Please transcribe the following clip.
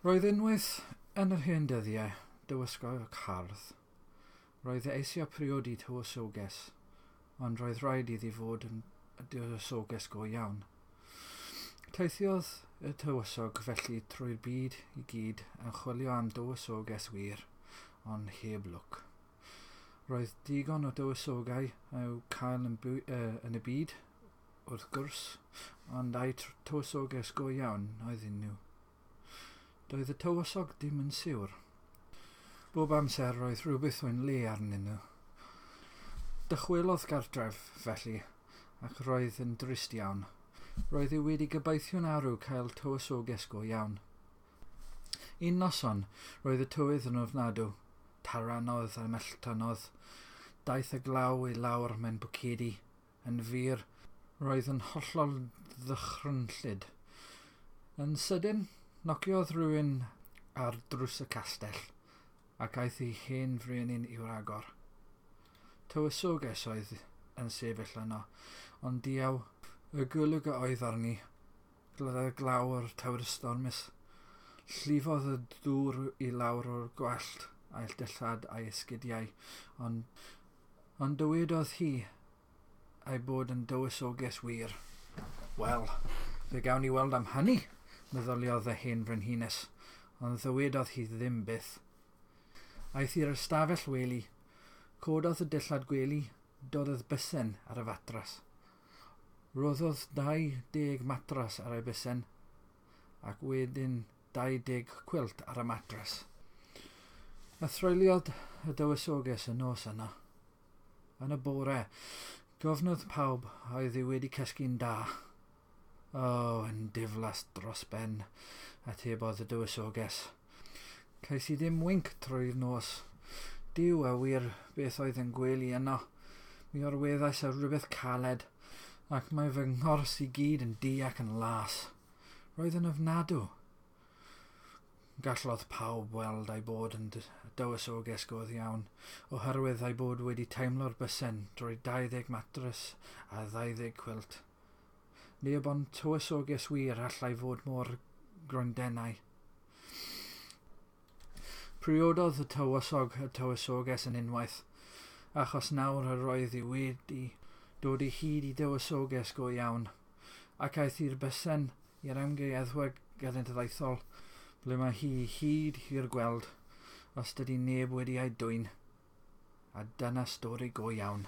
Roedd unwaith yn yr hen dyddiau dywysgog hardd. Roedd e eisiau priodi tywysoges, ond roedd rhaid iddi fod yn dywysoges go iawn. Teithiodd y tywysog felly trwy'r byd i gyd yn chwilio am dywysoges wir, ond heb lwc. Roedd digon o dywysogau i'w cael yn, yn y byd, wrth gwrs, ond ai tywysoges go iawn oedden nhw. Doedd y tywysog dim yn siwr. Bob amser roedd rhywbeth o'n le arnyn nhw. Dychwelodd gartref, felly, ac roedd yn drist iawn. Roedd e wedi gobeithio'n arw cael tywysoges go iawn. Un noson, roedd y tywydd yn ofnadw. Taranodd a melltanodd. Daeth y glaw i lawr mewn bwcedi. Yn fyr, roedd yn hollol ddychrynllyd. Yn sydyn, nociodd rhywun ar drws y castell ac aeth ei hen frenin i'w agor. Tywysoges oedd yn sefyll yno, ond diaw y golwg a oedd arni, gyda glaw o'r tywydd stormus. Llifodd y dŵr i lawr o'r gwallt a'i dillad a'i esgidiau, ond, ond dywedodd hi ei bod yn dywysoges wir. Wel, fe gawn ni weld am hynny, meddyliodd y hen frenhines, ond ddywedodd hi ddim byth. Aeth i'r ystafell wely, cododd y dillad gwely, dododd bysen ar y fatras. Roddodd 20 matras ar ei bysen, ac wedyn 20 cwilt ar y matras. A threuliodd y dywysoges y nos yno. Yn y bore, gofnodd pawb oedd hi wedi cysgu'n da. O, oh, yn diflas dros ben, atebodd y dywysoges. Cais i ddim winc trwy'r nos. Duw a wir beth oedd yn gwely yno. Mi orweddais ar rhywbeth caled, ac mae fy nghors i gyd yn du ac yn las. Roedd yn ofnadw. Gallodd pawb weld ei bod yn dywysoges go iawn, oherwydd ei bod wedi teimlo'r bysen drwy 20 matres a 20 cwilt. Neb ond tywysoges wir allai fod mor grondennau. Priododd y tywysog y tywysoges yn unwaith, achos nawr yr oedd hi wedi dod i hyd i dywysoges go iawn, ac aeth i'r bysen i'r amgueddfa genedlaethol, ble mae hi hyd i'r gweld, os dydy neb wedi ei dwyn. A dyna stori go iawn.